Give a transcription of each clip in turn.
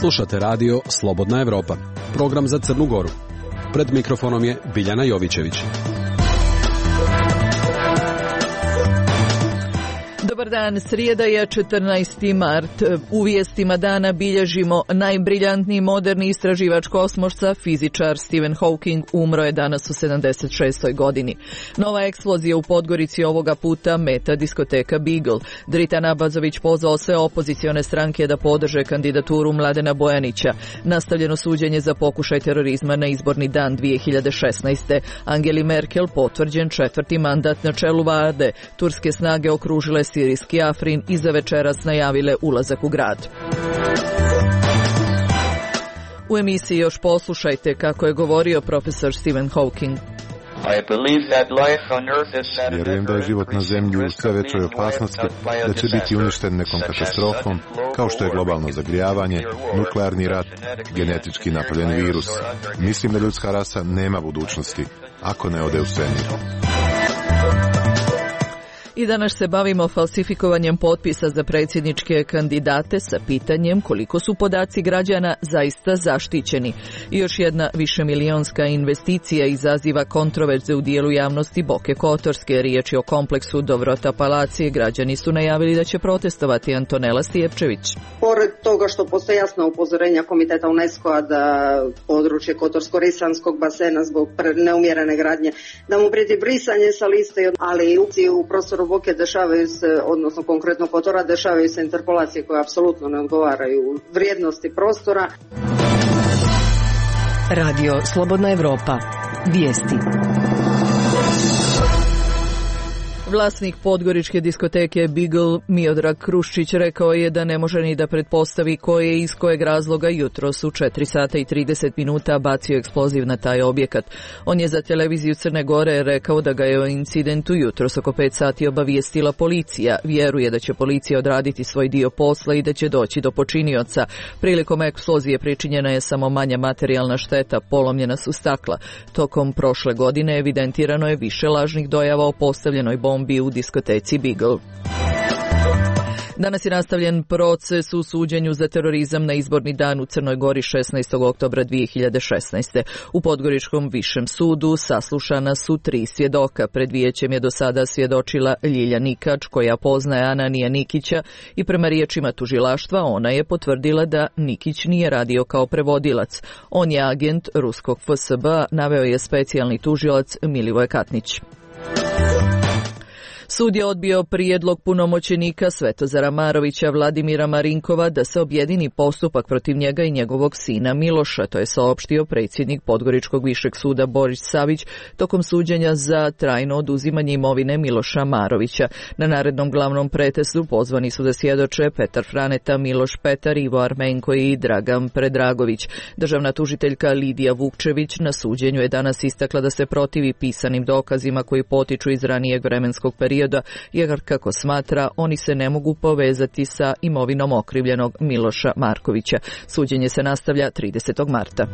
Slušate radio Slobodna Evropa, program za Crnu Goru. Pred mikrofonom je Biljana Jovićević. Dobar dan, srijeda je 14. mart. U vijestima dana bilježimo najbriljantniji moderni istraživač kosmosa, fizičar Stephen Hawking, umro je danas u 76. godini. Nova eksplozija u Podgorici ovoga puta meta diskoteka Beagle. Dritan Abazović pozvao sve opozicione stranke da podrže kandidaturu Mladena Bojanića. Nastavljeno suđenje za pokušaj terorizma na izborni dan 2016. Angeli Merkel potvrđen 4. mandat na čelu vlade. Turske snage okružile sirijski Afrin i za večeras najavile ulazak u grad. U emisiji još poslušajte kako je govorio profesor Stephen Hawking. Vjerujem da je život na zemlji u sve većoj opasnosti, da će biti uništen nekom katastrofom, kao što je globalno zagrijavanje, nuklearni rat, genetički napravljen virus. Mislim da ljudska rasa nema budućnosti, ako ne ode u svemir. I danas se bavimo falsifikovanjem potpisa za predsjedničke kandidate sa pitanjem koliko su podaci građana zaista zaštićeni. I još jedna višemilionska investicija izaziva kontroverze u dijelu javnosti Boke Kotorske. Riječ je o kompleksu Dobrota Palacije. Građani su najavili da će protestovati. Antonela Stijepčević. Pored toga što postoje jasna upozorenja Komiteta UNESCO-a da područje Kotorsko-Risanskog basena zbog neumjerene gradnje, da mu prijeti brisanje sa liste, ali u prostoru Boke dešavaju se, odnosno konkretno Kotora, dešavaju se interpolacije koje apsolutno ne odgovaraju vrijednosti prostora. Radio Slobodna Evropa. Vijesti. Vlasnik podgoričke diskoteke Beagle, Miodrag Kruščić, rekao je da ne može ni da pretpostavi ko je iz kojeg razloga jutros u 4 sata i 30 minuta bacio eksploziv na taj objekat. On je za televiziju Crne Gore rekao da ga je o incidentu jutros oko 5 sati obavijestila policija. Vjeruje da će policija odraditi svoj dio posla i da će doći do počinioca. Prilikom eksplozije pričinjena je samo manja materijalna šteta, polomljena su stakla. Tokom prošle godine evidentirano je više lažnih dojava o postavljenoj bombi u diskoteci Beagle. Danas je nastavljen proces u suđenju za terorizam na izborni dan u Crnoj Gori 16. oktobra 2016. U Podgoričkom višem sudu saslušana su 3 svjedoka. Pred vijećem je do sada svjedočila Ljilja Nikač, koja poznaje Ananija Nikića, i prema riječima tužilaštva ona je potvrdila da Nikić nije radio kao prevodilac. On je agent ruskog FSB, naveo je specijalni tužilac Milivoj Katnić. Sud je odbio prijedlog punomoćenika Svetozara Marovića Vladimira Marinkova da se objedini postupak protiv njega i njegovog sina Miloša, to je saopštio predsjednik Podgoričkog višeg suda Boris Savić tokom suđenja za trajno oduzimanje imovine Miloša Marovića. Na narednom glavnom pretesu pozvani su da svjedoče Petar Franeta, Miloš Petar, Ivo Armenko i Dragan Predragović. Državna tužiteljka Lidija Vukčević na suđenju je danas istakla da se protivi pisanim dokazima koji potiču iz ranijeg vremenskog perioda, jer kako smatra, oni se ne mogu povezati sa imovinom okrivljenog Miloša Markovića. Suđenje se nastavlja 30. marta.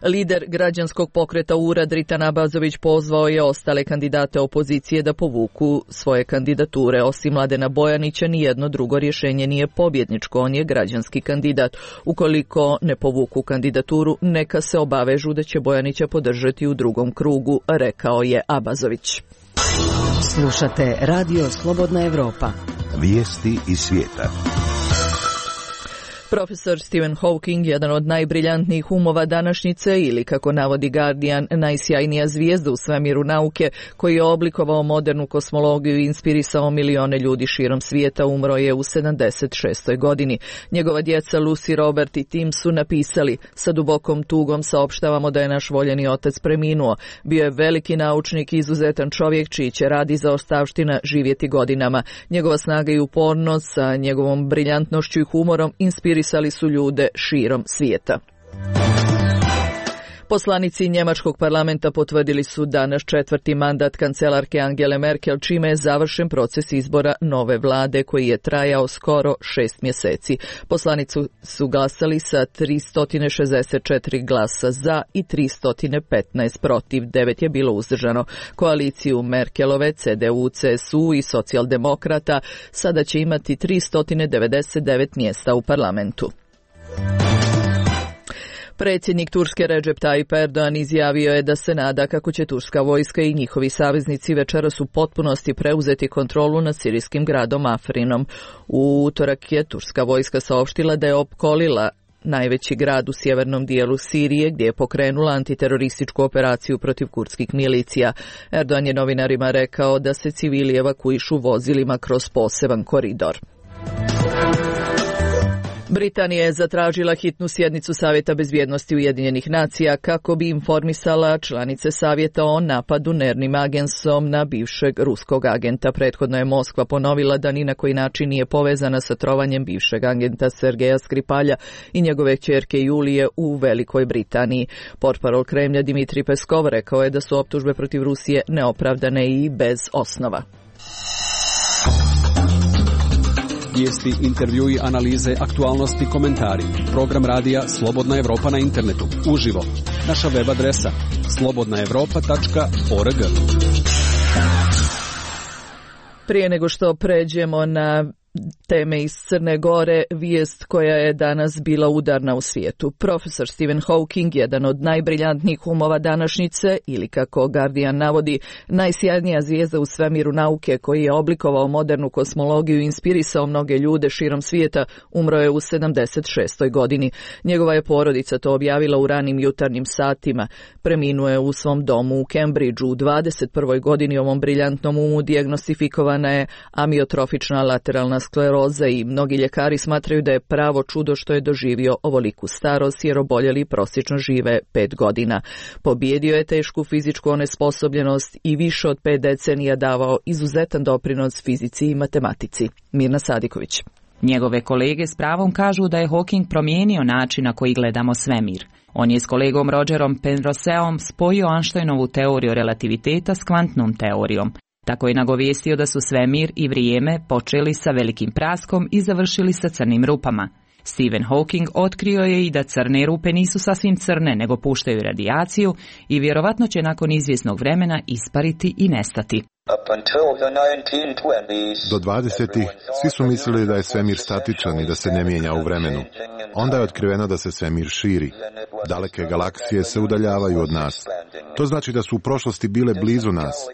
Lider građanskog pokreta URA Dritan Abazović pozvao je ostale kandidate opozicije da povuku svoje kandidature. Osim Mladena Bojanića, nijedno drugo rješenje nije pobjedničko, on je građanski kandidat. Ukoliko ne povuku kandidaturu, neka se obavežu da će Bojanića podržati u drugom krugu, rekao je Abazović. Slušate Radio Slobodna Evropa. Vijesti iz svijeta. Profesor Stephen Hawking, jedan od najbriljantnijih umova današnjice, ili kako navodi Guardian, najsjajnija zvijezda u svemiru nauke, koji je oblikovao modernu kosmologiju i inspirisao milione ljudi širom svijeta, umro je u 76. godini. Njegova djeca Lucy, Robert i Tim su napisali: sa dubokom tugom saopštavamo da je naš voljeni otac preminuo. Bio je veliki naučnik i izuzetan čovjek čiji će rad i zaostavština živjeti godinama. Njegova snaga i upornost sa njegovom briljantnošću i humorom inspirisali su ljude širom svijeta. Poslanici njemačkog parlamenta potvrdili su danas 4. mandat kancelarke Angele Merkel, čime je završen proces izbora nove vlade koji je trajao skoro 6 mjeseci. Poslanici su glasali sa 364 glasa za i 315 protiv, 9 je bilo uzdržano. Koaliciju Merkelove, CDU, CSU i socijaldemokrata sada će imati 399 mjesta u parlamentu. Predsjednik Turske Recep Tayyip Erdogan izjavio je da se nada kako će turska vojska i njihovi saveznici večeras u potpunosti preuzeti kontrolu nad sirijskim gradom Afrinom. U utorak je turska vojska saopštila da je opkolila najveći grad u sjevernom dijelu Sirije gdje je pokrenula antiterorističku operaciju protiv kurdskih milicija. Erdogan je novinarima rekao da se civili evakuišu vozilima kroz poseban koridor. Britanija je zatražila hitnu sjednicu Savjeta bezbjednosti Ujedinjenih nacija kako bi informisala članice Savjeta o napadu nervnim agensom na bivšeg ruskog agenta. Prethodno je Moskva ponovila da ni na koji način nije povezana sa trovanjem bivšeg agenta Sergeja Skripalja i njegove kćerke Julije u Velikoj Britaniji. Portparol Kremlja Dmitrij Peskov rekao je da su optužbe protiv Rusije neopravdane i bez osnova. Vijesti, intervjui, analize, aktualnosti, komentari. Program radija Slobodna Evropa na internetu. Uživo. Naša web adresa slobodnaevropa.org. Prije nego što pređemo na teme iz Crne Gore, vijest koja je danas bila udarna u svijetu. Profesor Stephen Hawking, jedan od najbriljantnijih umova današnjice, ili kako Guardian navodi, najsjajnija zvijezda u svemiru nauke koji je oblikovao modernu kosmologiju i inspirisao mnoge ljude širom svijeta, umro je u 76. godini. Njegova je porodica to objavila u ranim jutarnjim satima. Preminuo je u svom domu u Cambridgeu. U 21. godini ovom briljantnom umu dijagnostifikovana je amiotrofična lateralna skleroza i mnogi ljekari smatraju da je pravo čudo što je doživio ovoliku starost jer oboljeli prosječno žive 5 godina. Pobijedio je tešku fizičku onesposobljenost i više od 5 decenija davao izuzetan doprinos fizici i matematici. Mirna Sadiković. Njegove kolege s pravom kažu da je Hawking promijenio način na koji gledamo svemir. On je s kolegom Rogerom Penroseom spojio Einsteinovu teoriju relativiteta s kvantnom teorijom. Tako je nagovijestio da su svemir i vrijeme počeli sa velikim praskom i završili sa crnim rupama. Stephen Hawking otkrio je i da crne rupe nisu sasvim crne, nego puštaju radijaciju i vjerovatno će nakon izvjesnog vremena ispariti i nestati. Do 20-ih svi su mislili da je svemir statičan i da se ne mijenja u vremenu. Onda je otkriveno da se svemir širi. Daleke galaksije se udaljavaju od nas. To znači da su u prošlosti bile blizu nas.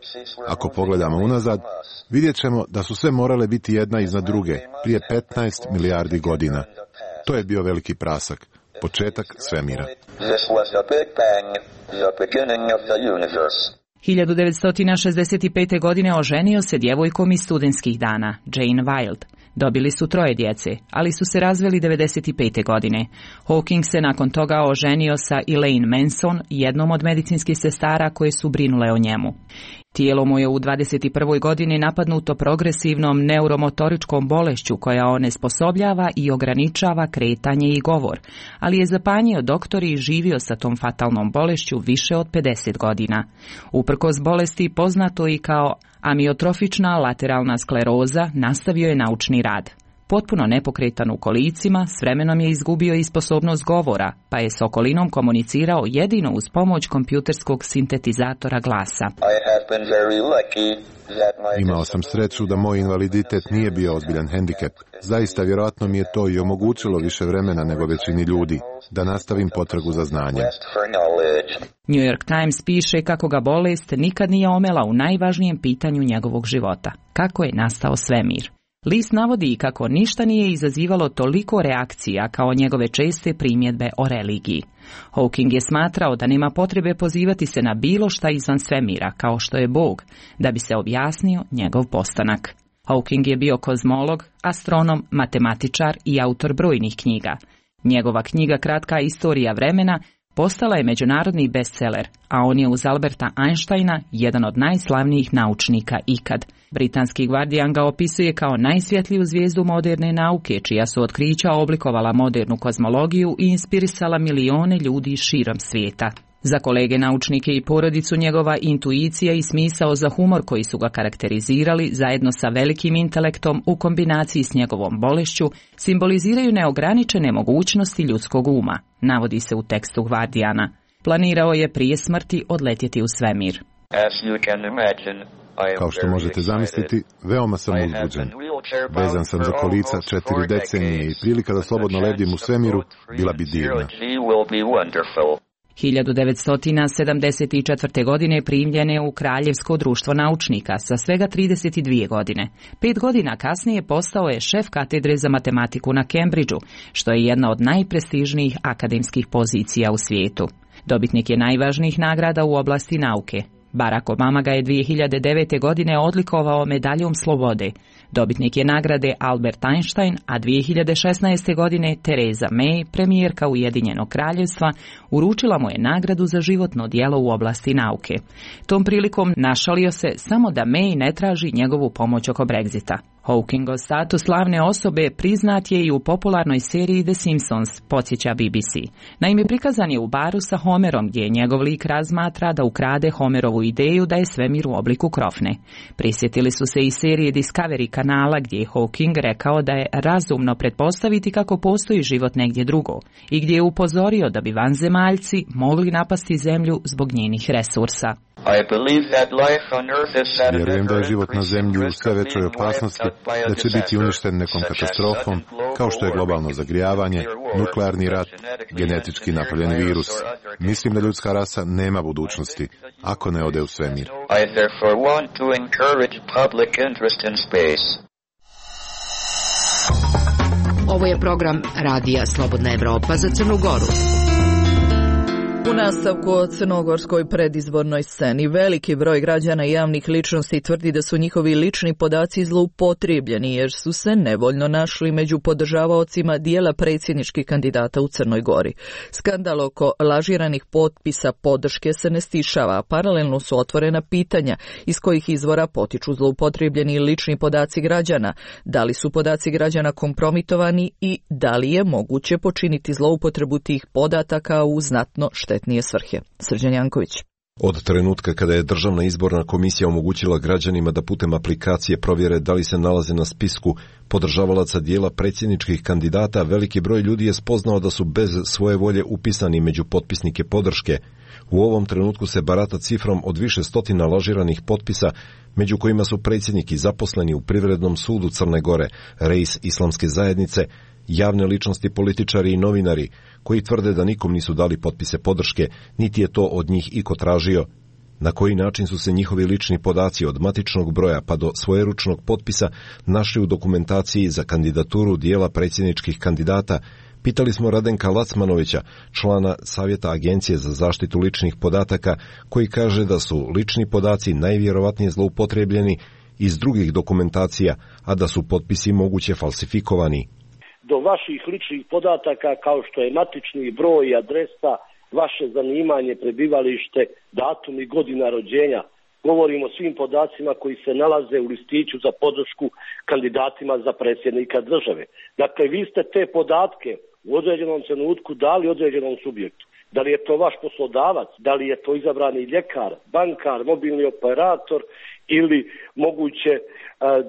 Ako pogledamo unazad, vidjet ćemo da su sve morale biti jedna iznad druge, prije 15 milijardi godina. To je bio veliki prasak, početak svemira. 1965. godine oženio se djevojkom iz studentskih dana, Jane Wilde. Dobili su 3 djece, ali su se razveli 1995. godine. Hawking se nakon toga oženio sa Elaine Manson, jednom od medicinskih sestara koje su brinule o njemu. Tijelo mu je u 21. godini napadnuto progresivnom neuromotoričkom bolešću koja onesposobljava i ograničava kretanje i govor, ali je zapanjio doktor i živio sa tom fatalnom bolešću više od 50 godina. Uprkos bolesti, poznato i kao amiotrofična lateralna skleroza, nastavio je naučni rad. Potpuno nepokretan u kolicima, s vremenom je izgubio i sposobnost govora, pa je s okolinom komunicirao jedino uz pomoć kompjuterskog sintetizatora glasa. Imao sam sreću da moj invaliditet nije bio ozbiljan hendikep. Zaista vjerojatno mi je to i omogućilo više vremena nego većini ljudi, da nastavim potragu za znanjem. New York Times piše kako ga bolest nikad nije omela u najvažnijem pitanju njegovog života. Kako je nastao svemir? List navodi i kako ništa nije izazivalo toliko reakcija kao njegove česte primjedbe o religiji. Hawking je smatrao da nema potrebe pozivati se na bilo šta izvan svemira, kao što je Bog, da bi se objasnio njegov postanak. Hawking je bio kozmolog, astronom, matematičar i autor brojnih knjiga. Njegova knjiga Kratka istorija vremena postala je međunarodni bestseller, a on je uz Alberta Einsteina jedan od najslavnijih naučnika ikad. Britanski Guardian ga opisuje kao najsvjetliju zvijezdu moderne nauke, čija su otkrića oblikovala modernu kozmologiju i inspirisala milione ljudi širom svijeta. Za kolege naučnike i porodicu njegova intuicija i smisao za humor koji su ga karakterizirali, zajedno sa velikim intelektom u kombinaciji s njegovom bolešću, simboliziraju neograničene mogućnosti ljudskog uma, navodi se u tekstu Guardiana. Planirao je prije smrti odletjeti u svemir. As you can imagine, Kao što možete zamisliti, veoma sam uzbuđen. Vezan sam za kolica 4 decenije i prilika da slobodno lebdim u svemiru bila bi divna. 1974. godine primljen je u Kraljevsko društvo naučnika sa svega 32 godine. 5 godina kasnije postao je šef katedre za matematiku na Cambridgeu, što je jedna od najprestižnijih akademskih pozicija u svijetu. Dobitnik je najvažnijih nagrada u oblasti nauke. Barack Obama ga je 2009. godine odlikovao medaljom slobode. Dobitnik je nagrade Albert Einstein, a 2016. godine Theresa May, premijerka Ujedinjenog kraljevstva, uručila mu je nagradu za životno djelo u oblasti nauke. Tom prilikom našalio se samo da May ne traži njegovu pomoć oko Brexita. Hawkingov status slavne osobe priznat je i u popularnoj seriji The Simpsons, podsjeća BBC. Naime, prikazan je u baru sa Homerom, gdje njegov lik razmatra da ukrade Homerovu ideju da je svemir u obliku krofne. Prisjetili su se i serije Discovery kanala, gdje je Hawking rekao da je razumno pretpostaviti kako postoji život negdje drugo i gdje je upozorio da bi vanzemaljci mogli napasti zemlju zbog njenih resursa. Vjerujem da je život na zemlji u sve većoj opasnosti, da će biti uništen nekom katastrofom, kao što je globalno zagrijavanje, nuklearni rat, genetički napravljen virus. Mislim da ljudska rasa nema budućnosti, ako ne ode u svemir. Ovo je program Radija Slobodna Evropa za Crnu Goru. U nastavku o crnogorskoj predizbornoj sceni veliki broj građana i javnih ličnosti tvrdi da su njihovi lični podaci zloupotrijebljeni jer su se nevoljno našli među podržavaocima dijela predsjedničkih kandidata u Crnoj Gori. Skandal oko lažiranih potpisa podrške se ne stišava, a paralelno su otvorena pitanja iz kojih izvora potiču zloupotrijebljeni lični podaci građana, da li su podaci građana kompromitovani i da li je moguće počiniti zloupotrebu tih podataka u znatno štetnije svrhe. Srđan Janković. Od trenutka kada je Državna izborna komisija omogućila građanima da putem aplikacije provjere da li se nalaze na spisku podržavalaca dijela predsjedničkih kandidata, veliki broj ljudi je spoznao da su bez svoje volje upisani među potpisnike podrške. U ovom trenutku se barata cifrom od više stotina lažiranih potpisa, među kojima su predsjednik i zaposleni u Privrednom sudu Crne Gore, reis Islamske zajednice, javne ličnosti, političari i novinari, koji tvrde da nikom nisu dali potpise podrške, niti je to od njih iko tražio. Na koji način su se njihovi lični podaci od matičnog broja pa do svojeručnog potpisa našli u dokumentaciji za kandidaturu dijela predsjedničkih kandidata, pitali smo Radenka Lacmanovića, člana Savjeta Agencije za zaštitu ličnih podataka, koji kaže da su lični podaci najvjerovatnije zloupotrijebljeni iz drugih dokumentacija, a da su potpisi moguće falsifikovani. Do vaših ličnih podataka kao što je matični broj, adresa, vaše zanimanje, prebivalište, datum i godina rođenja. Govorimo o svim podacima koji se nalaze u listiću za podršku kandidatima za predsjednika države. Dakle, vi ste te podatke u određenom trenutku dali određenom subjektu. Da li je to vaš poslodavac, da li je to izabrani ljekar, bankar, mobilni operator ili moguće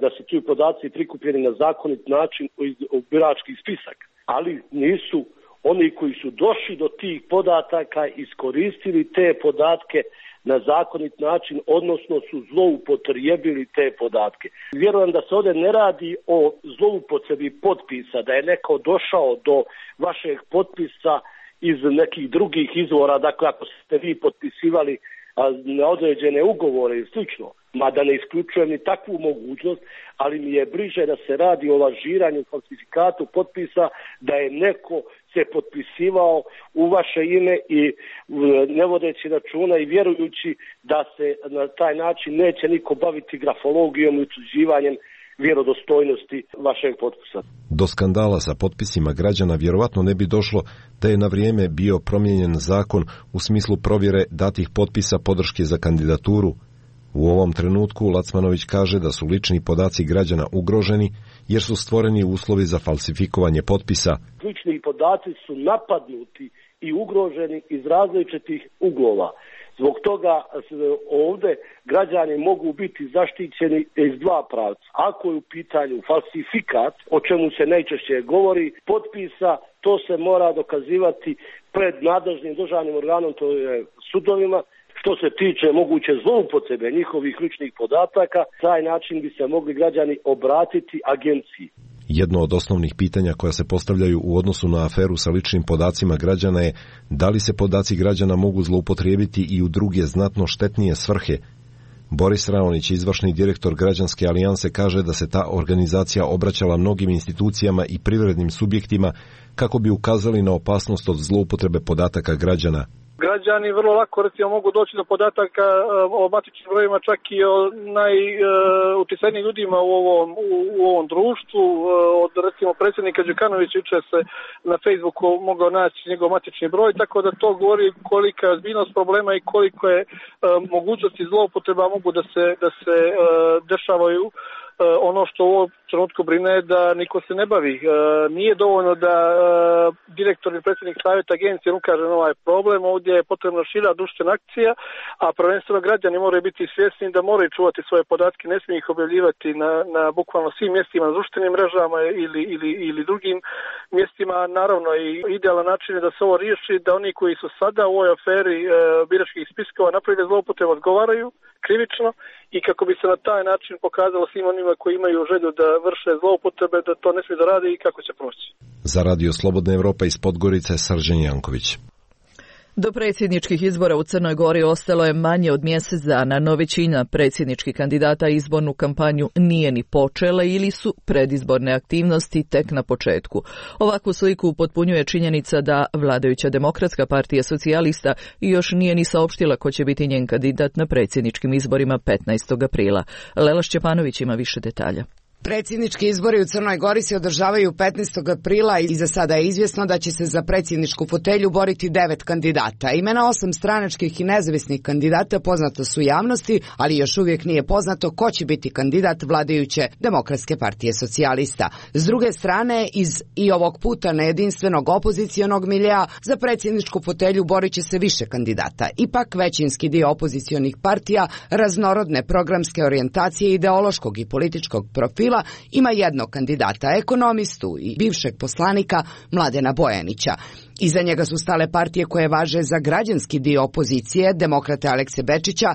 da su ti podaci prikupljeni na zakonit način u birački spisak. Ali nisu oni koji su došli do tih podataka iskoristili te podatke na zakonit način, odnosno su zloupotrijebili te podatke. Vjerujem da se ovdje ne radi o zloupotrebi potpisa, da je neko došao do vašeg potpisa iz nekih drugih izvora, dakle ako ste vi potpisivali na određene ugovore i slično, mada ne isključujem ni takvu mogućnost, ali mi je bliže da se radi o lažiranju, falsifikatu potpisa, da je neko se potpisivao u vaše ime i ne vodeći računa i vjerujući da se na taj način neće niko baviti grafologijom i utvrđivanjem vjerodostojnosti vašeg potpisa. Do skandala sa potpisima građana vjerovatno ne bi došlo da je na vrijeme bio promijenjen zakon u smislu provjere datih potpisa podrške za kandidaturu. U ovom trenutku Lacmanović kaže da su lični podaci građana ugroženi jer su stvoreni uslovi za falsifikovanje potpisa. Lični podaci su napadnuti i ugroženi iz različitih uglova. Zbog toga ovdje građani mogu biti zaštićeni iz dva pravca. Ako je u pitanju falsifikat, o čemu se najčešće govori, potpisa, to se mora dokazivati pred nadležnim državnim organom, to je sudovima, što se tiče moguće zloupotrebe njihovih ličnih podataka, taj način bi se mogli građani obratiti agenciji. Jedno od osnovnih pitanja koja se postavljaju u odnosu na aferu sa ličnim podacima građana je da li se podaci građana mogu zloupotrijebiti i u druge znatno štetnije svrhe. Boris Raonić, izvršni direktor Građanske alijanse, kaže da se ta organizacija obraćala mnogim institucijama i privrednim subjektima kako bi ukazali na opasnost od zloupotrebe podataka građana. Građani vrlo lako recimo mogu doći do podataka o matičnim brojima čak i o najuticajnijim ljudima u ovom društvu. Od recimo predsjednika Đukanovića jučer se na Facebooku mogao naći njegov matični broj, tako da to govori kolika je ozbiljnost problema i koliko je mogućnosti zloupotreba mogu da se dešavaju. Ono što u ovom trenutku brine je da niko se ne bavi. Nije dovoljno da direktor i predsjednik savjeta agencije ukaže na ovaj problem. Ovdje je potrebna šira društvena akcija, a prvenstveno građani moraju biti svjesni da moraju čuvati svoje podatke, ne smiju ih objavljivati na bukvalno svim mjestima, na društvenim mrežama ili drugim mjestima. Naravno, i idealan način je da se ovo riješi, da oni koji su sada u ovoj aferi biračkih spiskova napravili zloupotrebu odgovaraju krivično i kako bi se na taj način pokazalo svim onima koji imaju želju da vrše zloupotrebe da to ne smije da radi i kako će proći. Za Radio Slobodna Evropa iz Podgorice, Srđan Janković. Do predsjedničkih izbora u Crnoj Gori ostalo je manje od mjesec dana, no većina predsjedničkih kandidata izbornu kampanju nije ni počela ili su predizborne aktivnosti tek na početku. Ovakvu sliku upotpunjuje činjenica da vladajuća Demokratska partija socijalista još nije ni saopštila ko će biti njen kandidat na predsjedničkim izborima 15. aprila. Lela Šćepanović ima više detalja. Predsjednički izbori u Crnoj Gori se održavaju 15. aprila i za sada je izvjesno da će se za predsjedničku fotelju boriti 9 kandidata. Imena 8 stranačkih i nezavisnih kandidata poznata su javnosti, ali još uvijek nije poznato ko će biti kandidat vladajuće Demokratske partije socijalista. S druge strane, iz i ovog puta nejedinstvenog opozicionog miljea za predsjedničku fotelju borit će se više kandidata. Ipak većinski dio opozicionih partija raznorodne programske orijentacije ideološkog i političkog profila ima jednog kandidata, ekonomistu i bivšeg poslanika Mladena Bojanića. Iza njega su stale partije koje važe za građanski dio opozicije, demokrate Alekse Bečića,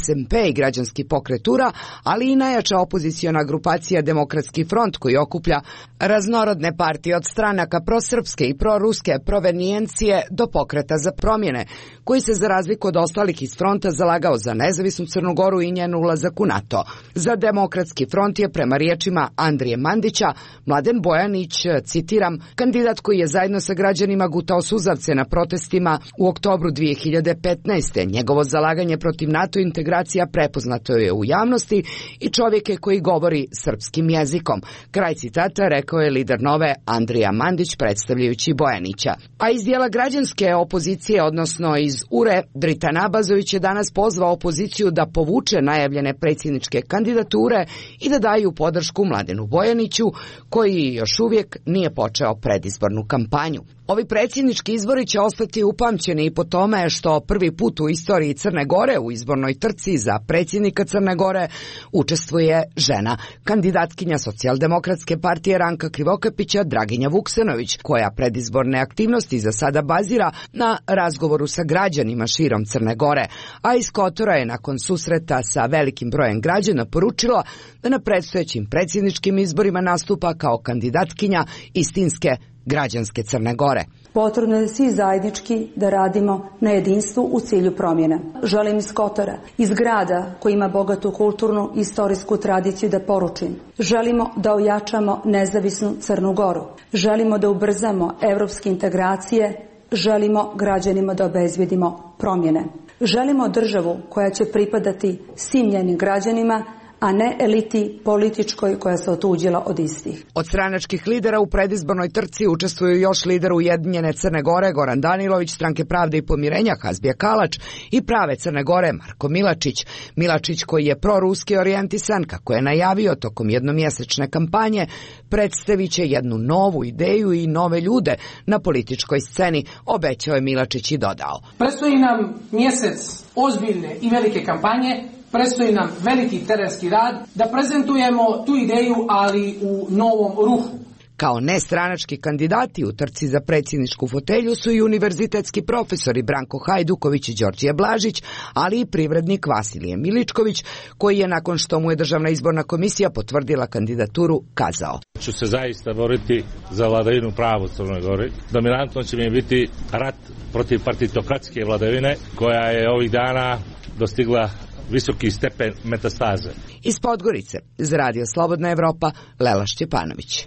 SMP i građanski pokret URA, ali i najjača opoziciona grupacija Demokratski front koji okuplja raznorodne partije od stranaka prosrpske i proruske provenijencije do pokreta za promjene, koji se za razliku od ostalih iz fronta zalagao za nezavisnu Crnu Goru i njen ulazak u NATO. Za Demokratski front je prema riječima Andrije Mandića Mladen Bojanić, citiram, kandidat koji je zajedno sa građanima gutao suzavce na protestima u oktobru 2015. Njegovo zalaganje protiv NATO integracija prepoznato je u javnosti i čovjek je koji govori srpskim jezikom. Kraj citata rekao je lider Nove Andrija Mandić predstavljajući Bojanića. A iz dijela građanske opozicije, odnosno iz URE, Dritan Abazović je danas pozvao opoziciju da povuče najavljene predsjedničke kandidature i da daju podršku Mladenu Bojaniću, koji još uvijek nije počeo predizbornu kampanju. Ovi predsjednički izbori će ostati upamćeni i po tome što prvi put u istoriji Crne Gore u izbornoj trci za predsjednika Crne Gore učestvuje žena, kandidatkinja Socijaldemokratske partije Ranka Krivokapića Draginja Vuksanović, koja predizborne aktivnosti za sada bazira na razgovoru sa građanima širom Crne Gore, a iz Kotora je nakon susreta sa velikim brojem građana poručila da na predstojećim predsjedničkim izborima nastupa kao kandidatkinja istinske građanske Crne Gore. Potrebno je svi zajednički da radimo na jedinstvu u cilju promjena. Želim iz Kotora, iz grada koji ima bogatu kulturnu i istorijsku tradiciju da poručim. Želimo da ojačamo nezavisnu Crnu Goru. Želimo da ubrzamo evropske integracije. Želimo građanima da obezbjedimo promjene. Želimo državu koja će pripadati svim njenim građanima, a ne eliti političkoj koja se otuđila od istih. Od stranačkih lidera u predizbornoj trci učestvuju još lider Ujedinjene Crne Gore Goran Danilović, Stranke pravde i pomirenja Hazbija Kalač i Prave Crne Gore Marko Milačić. Milačić, koji je proruski orijentisan, kako je najavio tokom jednomjesečne kampanje, predstavit će jednu novu ideju i nove ljude na političkoj sceni, obećao je Milačić i dodao. Predstoji nam mjesec ozbiljne i velike kampanje. Predstoji nam veliki terenski rad da prezentujemo tu ideju, ali u novom ruhu. Kao nestranački kandidati u trci za predsjedničku fotelju su i univerzitetski profesori Branko Hajduković i Đorđe Blažić, ali i privrednik Vasilije Miličković, koji je nakon što mu je Državna izborna komisija potvrdila kandidaturu kazao: ću se zaista boriti za vladavinu prava u Crnoj Gori. Dominantno će mi biti rat protiv partitokratske vladavine koja je ovih dana dostigla visoki stepen metastaze. Iz Podgorice, za Radio Slobodna Evropa, Lela Šćepanović.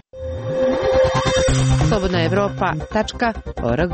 slobodnaevropa.org.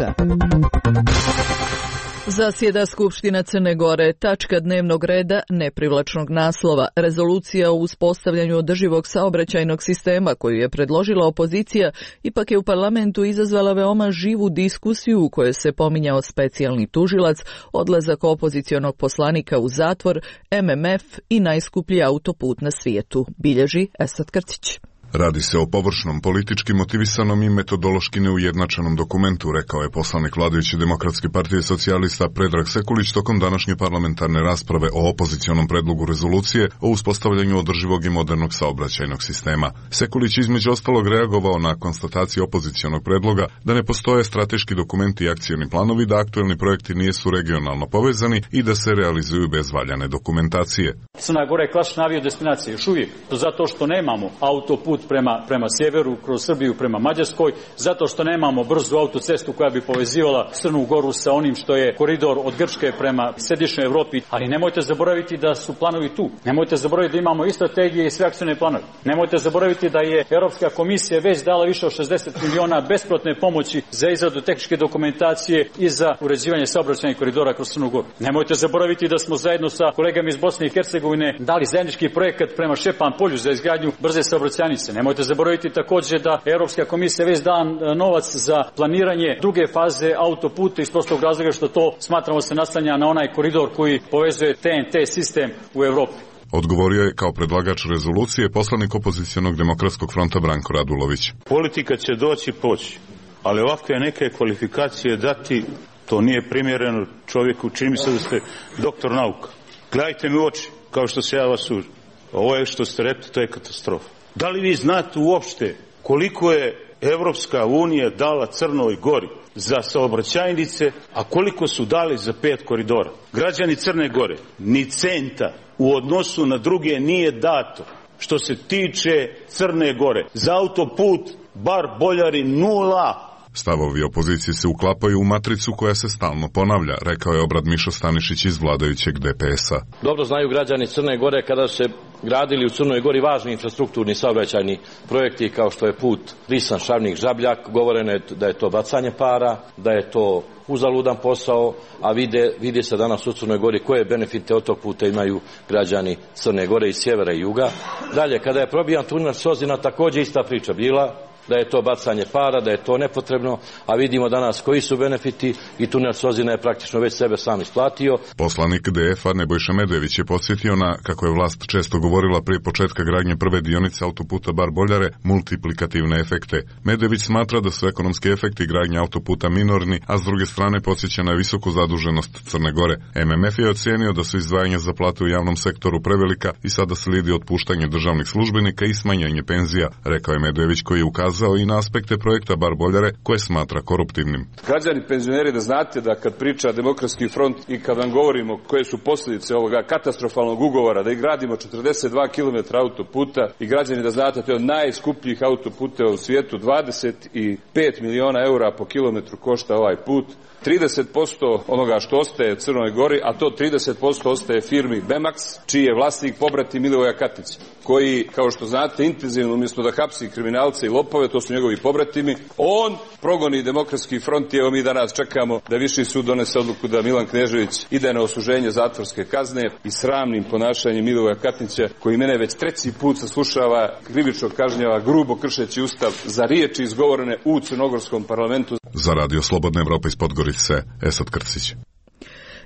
Zasjeda Skupština Crne Gore, tačka dnevnog reda neprivlačnog naslova. Rezolucija o uspostavljanju održivog saobraćajnog sistema koju je predložila opozicija ipak je u parlamentu izazvala veoma živu diskusiju u kojoj se pominjao specijalni tužilac, odlazak opozicionog poslanika u zatvor, MMF i najskuplji autoput na svijetu, bilježi Esad Krcić. Radi se o površnom, politički motivisanom i metodološki neujednačenom dokumentu, rekao je poslanik vladajuće Demokratske partije socijalista Predrag Sekulić tokom današnje parlamentarne rasprave o opozicionom predlogu rezolucije o uspostavljanju održivog i modernog saobraćajnog sistema. Sekulić između ostalog reagovao na konstataciju opozicionog predloga da ne postoje strateški dokumenti i akcioni planovi, da aktuelni projekti nisu regionalno povezani i da se realizuju bez valjane dokumentacije. Crna Gora je klasična aviodestinacija još uvijek, zato što nemamo autoput prema sjeveru, kroz Srbiju prema Mađarskoj, zato što nemamo brzu autocestu koja bi povezivala Crnu Goru sa onim što je koridor od Grčke prema središnjoj Evropi, ali nemojte zaboraviti da su planovi tu. Nemojte zaboraviti da imamo i strategije i sve akcione planove. Nemojte zaboraviti da je Europska komisija već dala više od 60 miliona besplatne pomoći za izradu tehničke dokumentacije i za uređivanje saobraćajnih koridora kroz Crnu Goru. Nemojte zaboraviti da smo zajedno sa kolegama iz Bosne i Hercegovine dali zajednički projekat prema Šepan polju za izgradnju brze saobraćajnice. Nemojte zaboraviti također da Europska komisija već da novac za planiranje druge faze autoputa iz prostog razloga što to smatramo se naslanja na onaj koridor koji povezuje TNT sistem u Europi. Odgovorio je kao predlagač rezolucije poslanik opozicionog Demokratskog fronta Branko Radulović. Politika će doći poći, ali ovakve neke kvalifikacije dati, to nije primjereno čovjeku, čini mi se da ste doktor nauka. Gledajte mi u oči, kao što se ja vas sužim. Ovo je što ste rekli, to je katastrofa. Da li vi znate uopšte koliko je Evropska unija dala Crnoj Gori za saobraćajnice, a koliko su dali za 5 koridora? Građani Crne Gore ni centa u odnosu na druge nije dato. Što se tiče Crne Gore, za autoput bar Boljari 0. Stavovi opozicije se uklapaju u matricu koja se stalno ponavlja, rekao je Obrad Mišo Stanišić iz vladajućeg DPS-a. Dobro znaju građani Crne Gore kada se gradili u Crnoj Gori važni infrastrukturni saobraćajni projekti kao što je put Risan-Šavnik-Žabljak, govoreno je da je to bacanje para, da je to uzaludan posao, a vidi se danas u Crnoj Gori koje benefite od tog puta imaju građani Crne Gore iz sjevera i juga. Dalje, kada je probijan tunel Sozina, također ista priča bila, da je to bacanje para, da je to nepotrebno, a vidimo danas koji su benefiti i tunel Sozina je praktično već sebe sam isplatio. Poslanik DF-a Nebojša Medević je podsjetio na, kako je vlast često govorila prije početka gradnje prve dionice autoputa Bar-Boljare, multiplikativne efekte. Medević smatra da su ekonomski efekti gradnje autoputa minorni, a s druge strane podsjeća na visoku zaduženost Crne Gore. MMF je ocijenio da su izdvajanja za plate u javnom sektoru prevelika i sada slijedi otpuštanje državnih službenika i smanjenje penzija, rekao je Medević, koji je ukazao i na aspekte projekta Bar-Boljare koje smatra koruptivnim. Građani penzioneri, da znate da kad priča Demokratski front i kad vam govorimo koje su posljedice ovoga katastrofalnog ugovora, da ih gradimo 42 km autoputa i građani da znate to je od najskupljih autoputeva u svijetu, 25 miliona eura po kilometru košta ovaj put. 30% onoga što ostaje u Crnoj Gori, a to 30% ostaje firmi Bemax, čiji je vlasnik pobrati Milivoja Katića, koji, kao što znate, intenzivno umjesto da hapsi kriminalce i lopove, to su njegovi pobratimi, on progoni Demokratski front i evo mi danas čekamo da Viši sud donese odluku da Milan Knežević ide na osuženje zatvorske kazne i sramnim ponašanjem Milivoja Katića, koji mene već 3. put saslušava, krivično kažnjava, grubo kršeći ustav za riječi izgovorene u crnogorskom parlamentu. Za Radio Slobodna Evropa iz Podgorice, Esad Krcić.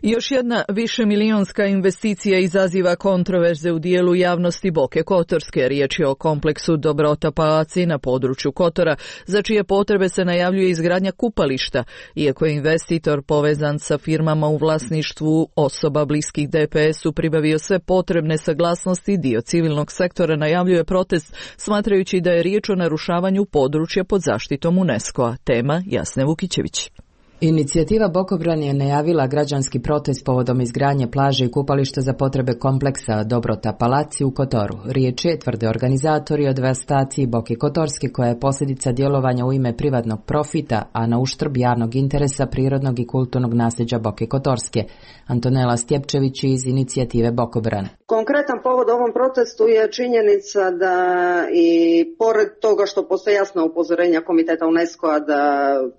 Još jedna višemilijonska investicija izaziva kontroverze u dijelu javnosti Boke Kotorske. Riječ je o kompleksu Dobrota Palaci na području Kotora, za čije potrebe se najavljuje izgradnja kupališta. Iako je investitor povezan sa firmama u vlasništvu osoba bliskih DPS-u pribavio sve potrebne saglasnosti, dio civilnog sektora najavljuje protest, smatrajući da je riječ o narušavanju područja pod zaštitom UNESCO-a. Tema Jasne Vukićević. Inicijativa Bokobran je najavila građanski protest povodom izgradnje plaže i kupališta za potrebe kompleksa Dobrota Palaci u Kotoru. Riječ je, tvrde organizatori, o devastaciji Boke Kotorske koja je posljedica djelovanja u ime privatnog profita, a na uštrb javnog interesa prirodnog i kulturnog nasljeđa Boke Kotorske. Antonela Stjepčević iz inicijative Bokobran. Konkretan povod ovom protestu je činjenica da i pored toga što postoje jasna upozorenja Komiteta UNESCO-a da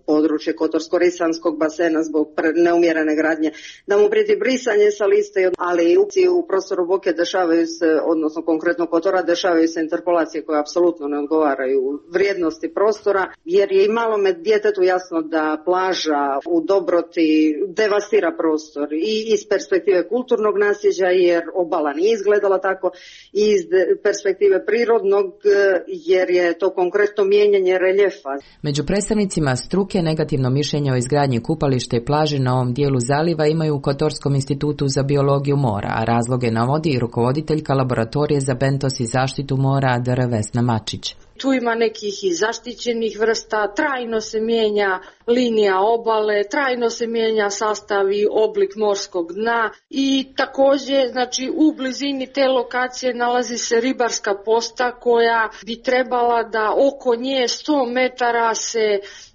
područje Kotorsko-Risanskog basena zbog neumjerene gradnje, da mu prijeti brisanje sa liste, ali u prostoru Boke dešavaju se, odnosno konkretno Kotora, dešavaju se interpolacije koje apsolutno ne odgovaraju vrijednosti prostora, jer je i malome djetetu jasno da plaža u Dobroti devastira prostor i iz perspektive kulturnog nasljeđa, jer obala nije izgledala tako, i iz perspektive prirodnog, jer je to konkretno mijenjanje reljefa. Među predstavnicima struke negativno mišljenje o izgradnji kupališta i plaže na ovom dijelu zaliva imaju u Kotorskom institutu za biologiju mora, a razloge navodi i rukovoditeljka laboratorije za bentos i zaštitu mora Dr. Vesna Mačić. Tu ima nekih i zaštićenih vrsta, trajno se mijenja linija obale, trajno se mijenja sastav i oblik morskog dna i također, znači, u blizini te lokacije nalazi se ribarska posta koja bi trebala da oko nje 100 metara se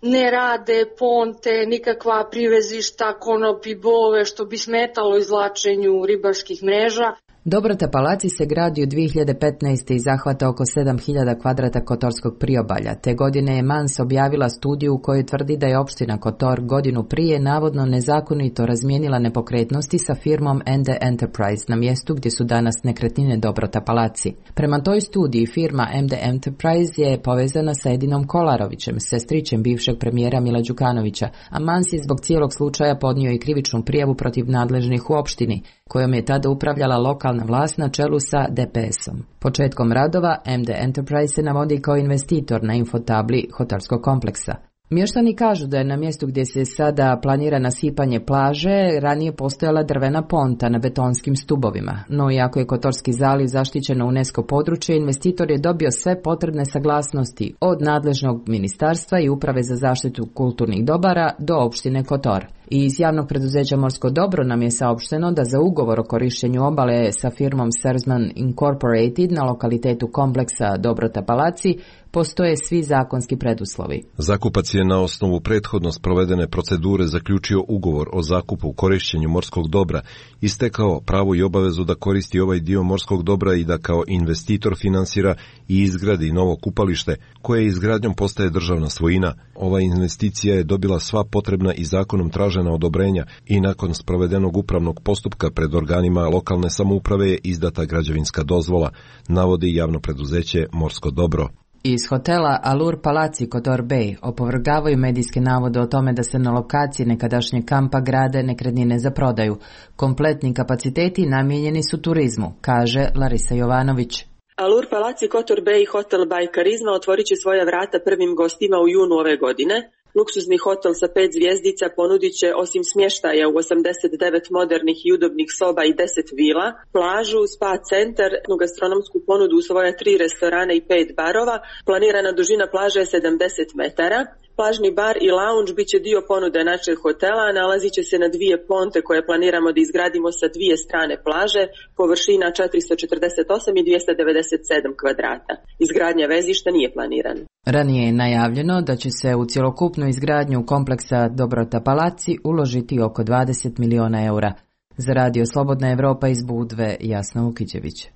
ne rade ponte, nikakva privezišta, konopi, bove, što bi smetalo izvlačenju ribarskih mreža. Dobrota Palaci se gradi u 2015. i zahvata oko 7000 kvadrata kotorskog priobalja. Te godine je Mans objavila studiju u kojoj tvrdi da je opština Kotor godinu prije navodno nezakonito razmijenila nepokretnosti sa firmom ND Enterprise na mjestu gdje su danas nekretnine Dobrota Palaci. Prema toj studiji firma MD Enterprise je povezana sa Edinom Kolarovićem, sestrićem bivšeg premijera Mila Đukanovića, a Mans je zbog cijelog slučaja podnio i krivičnu prijavu protiv nadležnih u opštini, kojom je tada upravljala lokalna vlast na čelu sa DPS-om. Početkom radova MD Enterprise se navodi kao investitor na infotabli hotelskog kompleksa. Mještani kažu da je na mjestu gdje se sada planira nasipanje plaže ranije postojala drvena ponta na betonskim stubovima, no iako je Kotorski zaliv zaštićeno UNESCO područje, investitor je dobio sve potrebne saglasnosti od nadležnog ministarstva i uprave za zaštitu kulturnih dobara do opštine Kotor. I iz javnog preduzeća Morsko dobro nam je saopšteno da za ugovor o korištenju obale sa firmom Sersman Incorporated na lokalitetu kompleksa Dobrota Palaci postoje svi zakonski preduslovi. Zakupac je na osnovu prethodno sprovedene procedure zaključio ugovor o zakupu korištenju morskog dobra, istekao pravo i obavezu da koristi ovaj dio morskog dobra i da kao investitor finansira i izgradi novo kupalište, koje izgradnjom postaje državna svojina. Ova investicija je dobila sva potrebna i zakonom tražena odobrenja i nakon sprovedenog upravnog postupka pred organima lokalne samouprave je izdata građevinska dozvola, navodi javno preduzeće Morsko dobro. Iz hotela Allure Palaci Kotor Bay opovrgavaju medijske navode o tome da se na lokaciji nekadašnje kampa grade nekretnine za prodaju. Kompletni kapaciteti namijenjeni su turizmu, kaže Larisa Jovanović. Allure Palaci Kotor Bay Hotel by Karizma otvorit će svoja vrata prvim gostima u junu ove godine. Luksuzni hotel sa 5 zvjezdica ponudit će osim smještaja u 89 modernih i udobnih soba i 10 vila, plažu, spa centar, gastronomsku ponudu u svoja 3 restorana i 5 barova. Planirana dužina plaže je 70 metara. Plažni bar i lounge bit će dio ponude našeg hotela, nalazit će se na 2 ponte koje planiramo da izgradimo sa 2 strane plaže, površina 448 i 297 kvadrata. Izgradnja vezišta nije planirana. Ranije je najavljeno da će se u cjelokupnu izgradnju kompleksa Dobrota Palaci uložiti oko 20 miliona eura. Za Radio Slobodna Evropa iz Budve, Jasna Vukićević.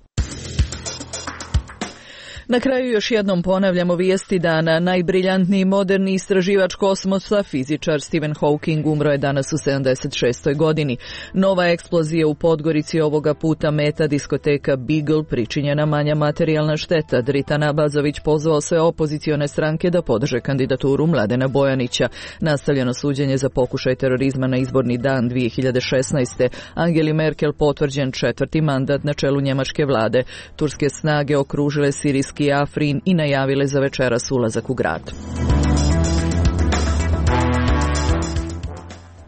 Na kraju još jednom ponavljamo vijesti dana. Najbriljantniji moderni istraživač kosmosa, fizičar Stephen Hawking, umro je danas u 76. godini. Nova eksplozija u Podgorici ovoga puta meta diskoteka Beagle, pričinjena manja materijalna šteta. Dritan Abazović pozvao sve opozicione stranke da podrže kandidaturu Mladena Bojanića. Nastavljeno suđenje za pokušaj terorizma na izborni dan 2016. Angeli Merkel potvrđen 4. mandat na čelu njemačke vlade. Turske snage okružile sirijski Afrin i najavile za večeras ulazak u grad.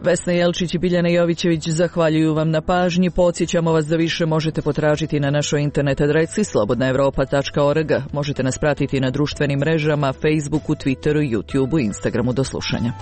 Vesna Jelčić i Biljana Jovićević zahvaljuju vam na pažnji. Podsjećamo vas da više možete potražiti na našoj internet adresi slobodnaevropa.org. Možete nas pratiti na društvenim mrežama, Facebooku, Twitteru, YouTubeu i Instagramu. Do slušanja.